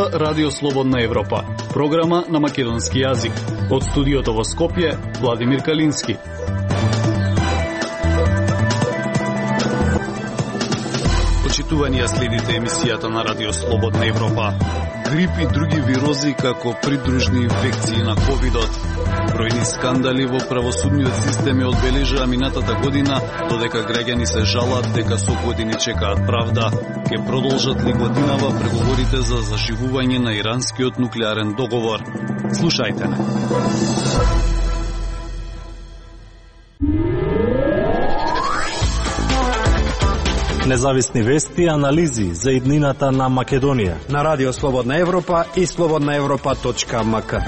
Слушнава Радио Слободна Европа, програма на македонски јазик. Од студиото во Скопје, Владимир Калински. Почитување следите емисијата на Радио Слободна Европа. Грип и други вирози како придружни инфекции на ковидот. Бројни скандали во правосудниот систем е одбележаа минатата година, додека граѓани се жалат дека со години чекаат правда. Ке продолжат ли годинава преговорите за заживување на иранскиот нуклеарен договор? Слушајте ме. Независни вести и анализи за иднината на Македонија на Радио Слободна Европа и slobodnaevropa.mk.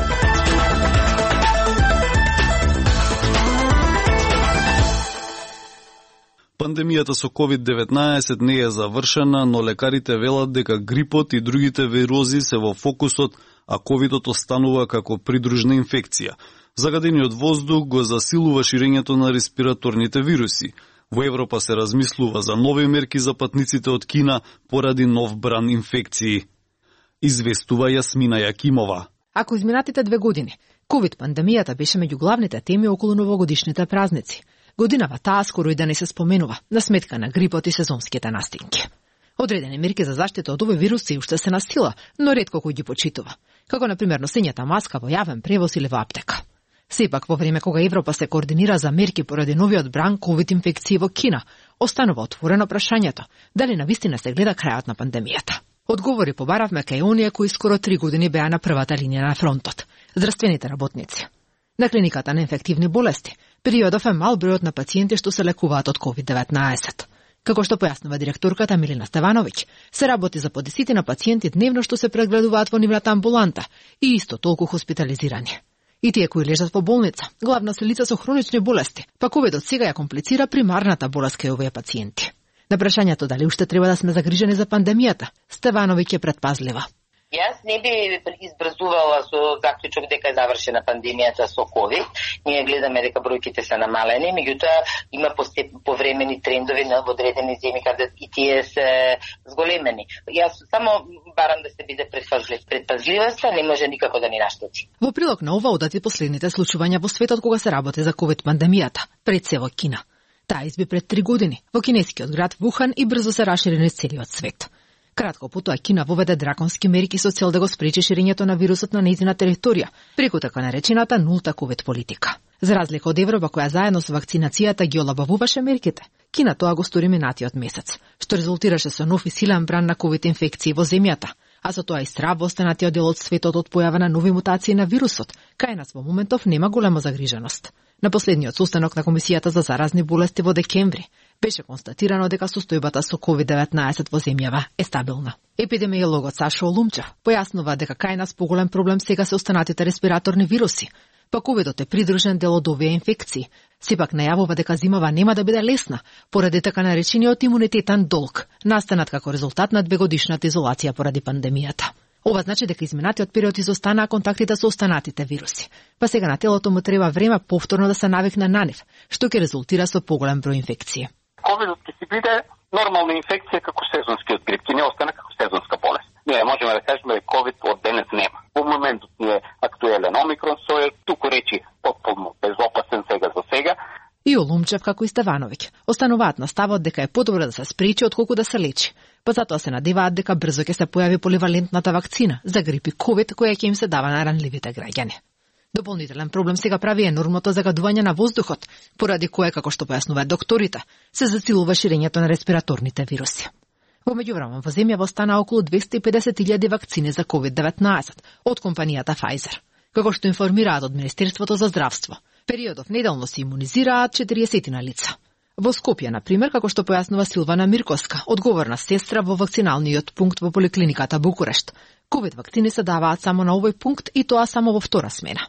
Пандемијата со COVID-19 не е завршена, но лекарите велат дека грипот и другите вирози се во фокусот, а ковидот останува како придружна инфекција. Загадениот воздух го засилува ширењето на респираторните вируси. Во Европа се размислува за нови мерки за патниците од Кина поради нов бран инфекции. Известува Јасмина Јакимова. Ако изминатите 2 години, ковид-пандемијата беше меѓу главните теми околу новогодишните празници, годинава таа скоро и да не се споменува, на сметка на грипот и сезонските настинки. Одредени мерки за заштита од овој вирус се уште се на сила, но ретко кој ги почитува, како например носењето маска во јавен превоз или во аптека. Сепак, во време кога Европа се координира за мерки поради новиот бран ковид инфекции во Кина, останува отворено прашањето дали навистина се гледа крајот на пандемијата. Одговори побаравме кај оние кои скоро 3 години беа на првата линија на фронтот – здравствените работници. На клиниката на инфективни болести, периодов е мал бројот на пациенти што се лекуваат од COVID-19. Како што појаснува директорката Милина Стевановиќ, се работи за по десетина пациенти дневно што се прегледуваат во нивната амбуланта и исто толку хоспитализирани. И тие кои лежат во болница, главно се лица со хронични болести, па ковидот сега ја комплицира примарната болест кај овие пациенти. На прашањето дали уште треба да сме загрижени за пандемијата, Стевановиќ е предпазлива. Јас не би избрзувала со заклучок дека е завршена пандемијата со ковид. Ние гледаме дека бројките се намалени, меѓутоа има повремени трендови на одредени земји каде и тие се зголемени. Јас само барам да се биде предпазливоста, не може никако да ни наштети. Во прилог на ова одат и последните случувања во светот кога се работи за ковид пандемијата, пред се во Кина. Таа изби пред 3 години во кинескиот град Вухан и брзо се расшири низ целиот свет. Кратко потоа Кина воведе драконски мерки со цел да го спречи ширењето на вирусот на нејзина територија, преку така наречената нулта ковид политика. За разлика од Европа која заедно со вакцинацијата ги олабавуваше мерките, Кина тоа го стори минатиот месец, што резултираше со нов и силен бран на ковид инфекции во земјата, а со тоа и страв во останатиот дел од светот од појава на нови мутации на вирусот, кај нас во моментов нема голема загриженост. На последниот состанок на Комисијата за заразни болести во декември беше констатирано дека состојбата со COVID-19 во земјава е стабилна. Епидемиологот Сашо Олумчев појаснува дека кај нас поголем проблем сега се останатите респираторни вируси, па ковидот е придружен дел од овие инфекции. Сепак најавува дека зимава нема да биде лесна, поради така наречениот имунитетен долг, настанат како резултат на 2-годишната изолација поради пандемијата. Ова значи дека изминатиот период изостанаа контактите со останатите вируси, па сега на телото му треба време повторно да се навикне на нив, што ќе резултира со поголем број инфекции. Ковидот ќе си биде нормална инфекција како сезонскиот грип, ќе не остане како сезонска болест. Ние можеме да кажеме дека ковид од денес нема. Во моментот ни е актуелен омикрон, сој туку речи потполно безопасен за сега. И Олумчев, како и Стевановиќ, остануваат на ставот дека е подобро да се спречи отколку да се лечи. Па затоа се надеваат дека брзо ќе се појави поливалентната вакцина за грип и ковид која ќе им се дава на ранливите граѓани. Дополнителен проблем сега прави енормното загадување на воздухот, поради кое, како што појаснуваат докторите, се засилува ширењето на респираторните вируси. Во меѓувреме во земјава остана околу 250.000 вакцини за COVID-19 од компанијата Pfizer. Како што информираат од Министерството за здравство, периодов неделно се имунизираат 40 лица. Во Скопје, например, како што појаснува Силвана Мирковска, одговорна сестра во вакциналниот пункт во поликлиниката Букурешт, ковид вакцини се даваат само на овој пункт и тоа само во втора смена.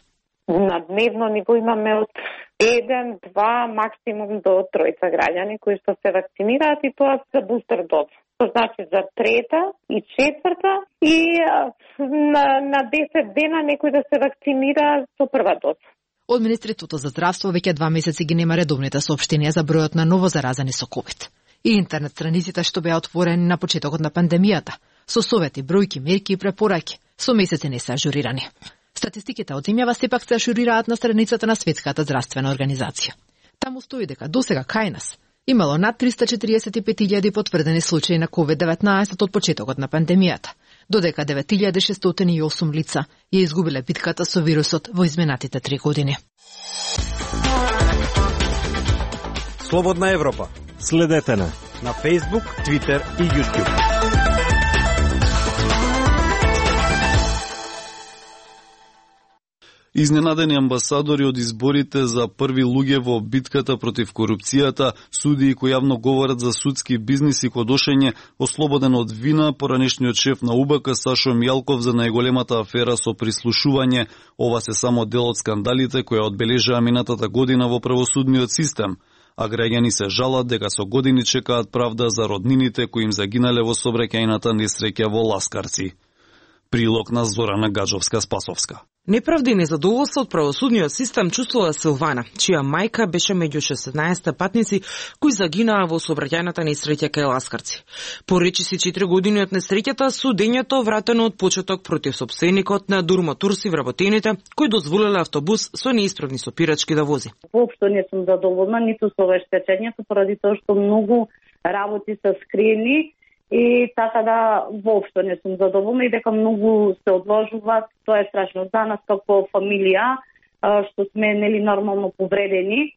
На дневно ниво имаме од 1, 2, максимум до 3 граѓани кои што се вакцинираат и тоа за бустер доза. Тоа значи за 3-та и 4-та и на 10 дена некој да се вакцинира со прва доза. Од Министерството за здравство веќе 2 месеци ги нема редовните соопштенија за бројот на ново заразени со ковид. И интернет страниците што беа отворени на почетокот на пандемијата со совети, бројки, мерки и препораки, со месеци не се ажурирани. Статистиките од земјава сепак се ажурираат на страницата на Светската здравствена организација. Таму стои дека досега кај нас имало над 345.000 потврдени случаи на COVID-19 од почетокот на пандемијата, додека 9.608 лица ја изгубиле битката со вирусот во изминатите 3 години. Слободна Европа. Следете на Facebook, Twitter и YouTube. Изненадени амбасадори од изборите за први луѓе во битката против корупцијата, судии кои јавно говорат за судски бизнис и кодошење, ослободен од вина поранешниот шеф на УБК Сашо Мијалков за најголемата афера со прислушување. Ова се само дел од скандалите кои одбележаа минатата година во правосудниот систем. А граѓани се жалат дека со години чекаат правда за роднините кои им загинале во сообраќајната несреќа во Ласкарци. Прилог на Зорана Гаджовска-Спасовска. Неправда и незадоволство од правосудниот систем чувствува Силвана, чија мајка беше меѓу 16 патници кои загинаа во сообраќајната несреќа кај Ласкарци. По речиси 4 години од несреќата, судењето вратено од почеток против сопственикот на Дурмо Турси вработените, кои дозволиле автобус со неисправни сопирачки да вози. Воопшто не сум задоволна ниту со обештечењето, поради тоа што многу работи се скриени. И така да воопшто не сум задоволна и дека многу се одложуваат. Тоа е страшно за нас како фамилија, што сме нормално повредени.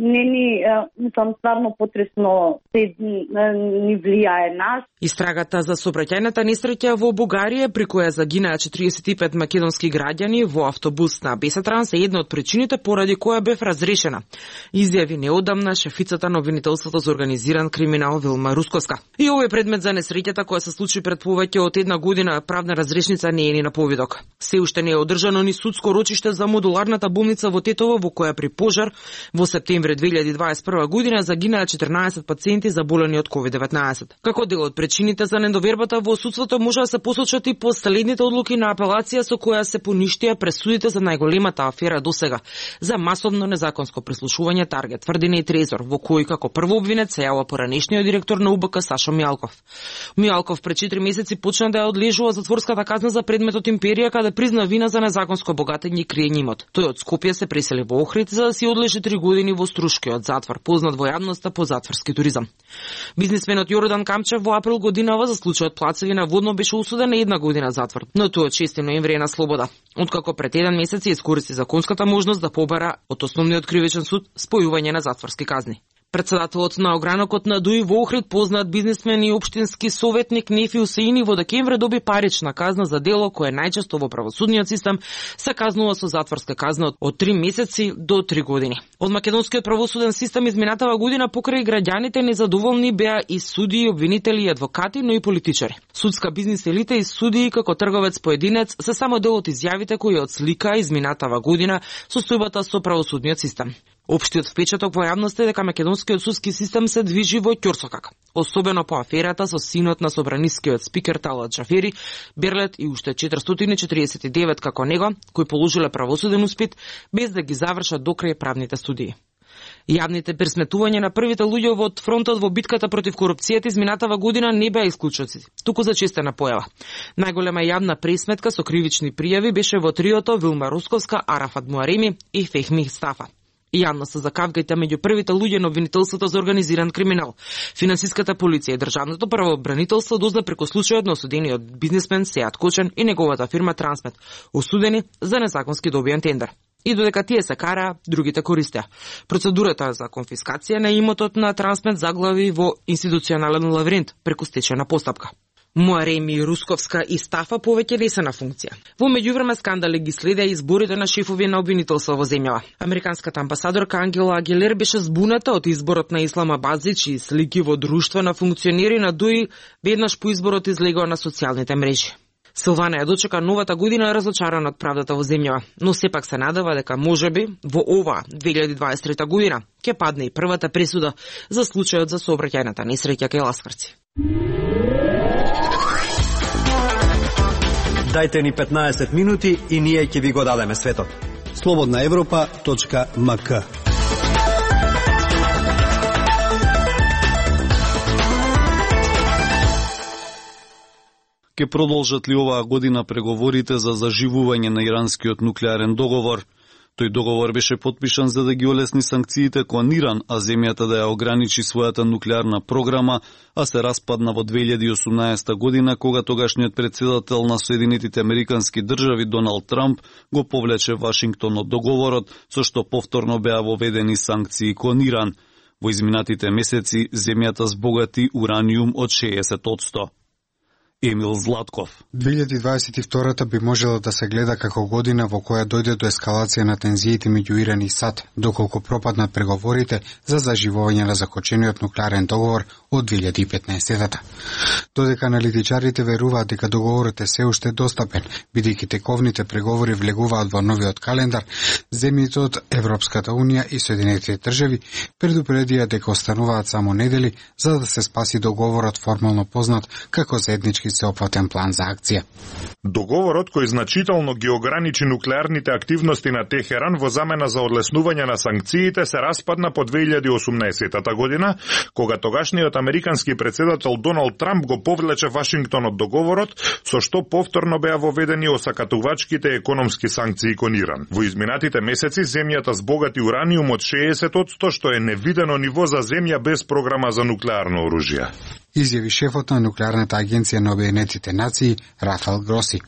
Не ни стварно потресно се ни влијае нас. Истрагата за сообраќајната несреќа во Бугарија, при која загинаа 45 македонски граѓани во автобус на Бесатранс, е една од причините поради која бев разрешена, изјави неодамна шефицата на обвинителството за организиран криминал Вилма Русковска. И овој предмет за несреќата која се случи пред повеќе од една година, правна разрешница не е ни на повидок. Се уште не е одржано ни судско рочиште за модуларната болница во Тетово, во која при пожар во септември 2021 година загинаа 14 пациенти заболени од COVID-19. Како дел од причините за недовербата во судството може да се посочат и последните одлуки на апелација со која се поништија пресудите за најголемата афера досега за масовно незаконско прислушување Таргет, Тврдина и Трезор, во кој како прво обвинет се јава поранешниот директор на УБК Сашо Мијалков. Мијалков пред 4 месеци почна да ја одлежува затворската казна за предметот империја, каде призна вина за незаконско богатење и криење имот. Тој од Скопје се пресели во Охрид за да си одлежи 3 години во Струшкиот затвор, познат во јавноста по затворски туризам. Бизнисменот Јордан Камчев во април годинава за случајот Плацевина водно беше осуден на 1 година затвор, но тој од 6 ноември е на слобода, откако пред 1 месец искористи законската можност да побара од основниот кривичен суд спојување на затворски казни. Председателот на огранокот на ДУИ во Охрид, познат бизнисмен и општински советник Нефи Усеини, во декември доби парична казна за дело кое најчесто во правосудниот систем се казнува со затворска казна од 3 месеци до 3 години. Од македонскиот правосуден систем изминатава година покрај граѓаните незадоволни беа и судии, обвинители и адвокати, но и политичари. Судска бизнис елита и судии како трговец поединец се само дел од изјавите кои отслика изминатава година состојбата со правосудниот систем. Општиот впечаток во јавноста е дека македонскиот судски систем се движи во ќорсокак, особено по аферата со синот на собранискиот спикер Талат Джафери, Берлет и уште 449 како него, кои положиле правосуден испит без да ги завршат до крај правните студии. Јавните пресметувања на првите луѓе од фронтот во битката против корупцијата изминатава година не беа исклучоци, туку зачестена појава. Најголема јавна пресметка со кривични пријави беше во триото Вилма Русковска, Арафат Муареми и Фехми Стафа. Јавноста за кавгајта меѓу првите луѓе на обвинителството за организиран криминал. Финансиската полиција и државното правобранителство дозна преку случајот на осудениот бизнисмен Сеат Кочен и неговата фирма Трансмет, осудени за незаконски добиен тендер. И додека тие се караа, другите користеа. Процедурата за конфискација на имотот на Трансмет заглави во институционален лавиринт преку стечајна постапка. Муареми, Русковска и Стафа повеќе не се на функција. Во меѓувреме скандали ги следеа изборите на шефови на обвинителство во земјава. Американската амбасадорка Ангела Агилер беше збуната од изборот на Исламабад, чии слики во друштва на функционери на ДУИ веднаш по изборот излегоа на социјалните мрежи. Силвана ја дочека новата година разочарана од правдата во земјава, но сепак се надева дека можеби во оваа 2023 година ќе падне и првата пресуда за случајот за сообраќајната несреќа кај Ласкарци. Дајте ни 15 минути и ние ќе ви го дадеме светот. slobodnaevropa.mk Ке продолжат ли оваа година преговорите за заживување на иранскиот нуклеарен договор? Тој договор беше потпишан за да ги олесни санкциите кон Иран, а земјата да ја ограничи својата нуклеарна програма, а се распадна во 2018 година, кога тогашниот председател на Соединетите Американски држави Доналд Трамп го повлече Вашингтон од договорот, со што повторно беа воведени санкции кон Иран. Во изминатите месеци земјата збогати ураниум од 60%. Емил Златков. 2022 би можела да се гледа како година во која дојде до ескалација на тензиите меѓу Иран и САД, доколку пропаднат преговорите за заживување на закочениот нуклеарен договор од 2015-та. Додека аналитичарите веруваат дека договорот е се уште достапен, бидејќи тековните преговори влегуваат во новиот календар, земјите од Европската унија и Соединетите држави предупредија дека остануваат само недели за да се спаси договорот формално познат како заеднички сеопфатен план за акција. Договорот кој значително ги ограничи нуклеарните активности на Техеран во замена за одлеснување на санкциите се распадна по 2018 година, кога тогашниот американски председател Доналд Трамп го повлече Вашингтон од договорот, со што повторно беа воведени осакатувачките економски санкции кон Иран. Во изминатите месеци земјата збогати ураниум од 60%, што е невидено ниво за земја без програма за нуклеарно оружје. Изјави шефот на нуклеарната агенција на Обединетите нации Рафаел Гроси.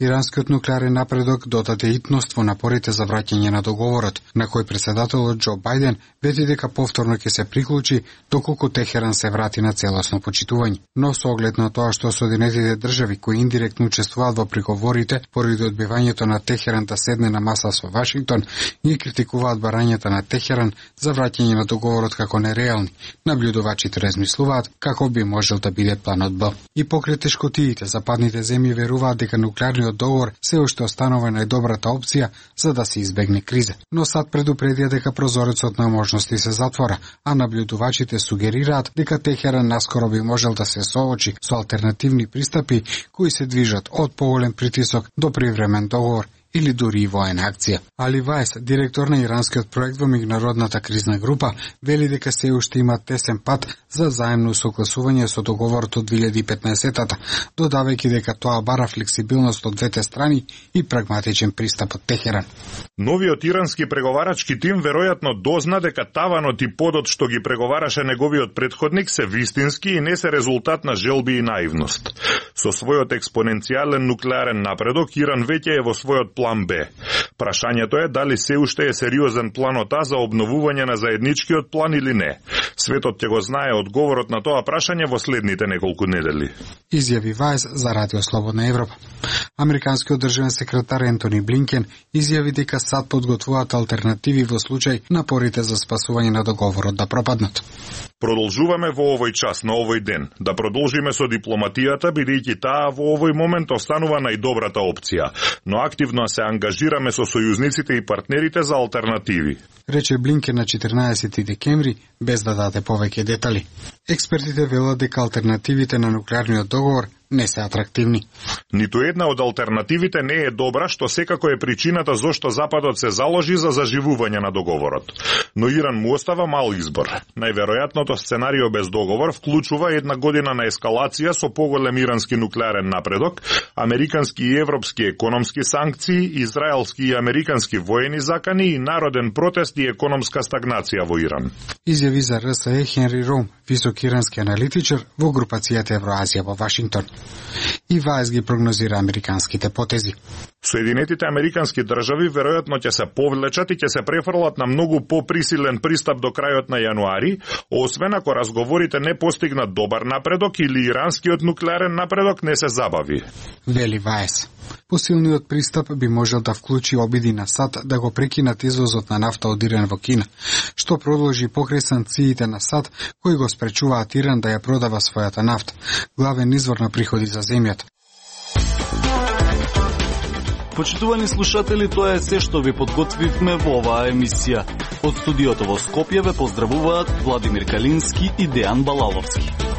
Иранскиот нуклеарен напредок додаде итност во напорите за враќање на договорот, на кој председателот Џо Бајден вети дека повторно ќе се приклучи доколку Техеран се врати на целосно почитување. Но со оглед на тоа што Соединетите држави кои индиректно учествуваат во преговорите поради одбивањето на Техеран да седне на маса со Вашингтон, ги критикуваат барањата на Техеран за враќање на договорот како нереални. Набљудувачите размислуваат како би можел да биде планот Б. И покрај тешкотиите, западните земји веруваат дека нуклеарниот договор се уште останува најдобрата опција за да се избегне криза. Но САД предупредија дека прозорецот на можности се затвора, а набљудувачите сугерираат дека Техеран наскоро би можел да се соочи со алтернативни пристапи кои се движат од поголем притисок до привремен договор или дури и воена акција. Али Вајс, директор на иранскиот проект во меѓународната кризна група, вели дека се уште има тесен пат за заемно согласување со договорот од 2015-та, додавајќи дека тоа бара флексибилност од двете страни и прагматичен пристап од Техеран. Новиот ирански преговарачки тим веројатно дозна дека таванот и подот што ги преговараше неговиот претходник се вистински и не се резултат на желби и наивност. Со својот експоненцијален нуклеарен напредок, Иран веќе е во својот план Б. Прашањето е дали се уште е сериозен планот А за обновување на заедничкиот план или не. Светот ќе го знае одговорот на тоа прашање во следните неколку недели. Изјави Вајс за Радио Слободна Европа. Американскиот државен секретар Ентони Блинкен изјави дека САД подготвуваат алтернативи во случај напорите за спасување на договорот да пропаднат. Продолжуваме во овој час, на овој ден, да продолжиме со дипломатијата, бидејќи таа во овој момент останува најдобрата опција, но активно се ангажираме со сојузниците и партнерите за алтернативи. Рече Блинкен на 14 декември, без да даде повеќе детали. Експертите велат дека алтернативите на нуклеарниот договор не се атрактивни. Ниту една од алтернативите не е добра, што секако е причината зошто Западот се заложи за заживување на договорот. Но Иран му остава мал избор. Најверојатното сценарио без договор вклучува една година на ескалација со поголем ирански нуклеарен напредок, американски и европски економски санкции, израелски и американски воени закани и народен протест и економска стагнација во Иран. Изјави за РСЕ Хенри Ром, висок ирански аналитичар во групацијата Евроазија во Вашингтон. И Вајс ги прогнозира американските потези. Соединетите американски држави веројатно ќе се повлечат и ќе се префрлат на многу поприсилен пристап до крајот на јануари, освен ако разговорите не постигнат добар напредок или иранскиот нуклеарен напредок не се забави. Вели Вајс. Посилниот пристап би можел да вклучи обиди на САД да го прекинат извозот на нафта од Иран во Кина, што продолжи покрај санкциите на САД кои го спречуваат Иран да ја продава својата нафта, главен извор на приходи за земјата. Почитувани слушатели, тоа е се што ви подготвивме во оваа емисија. Од студиото во Скопје ве поздравуваат Владимир Калински и Дејан Балаловски.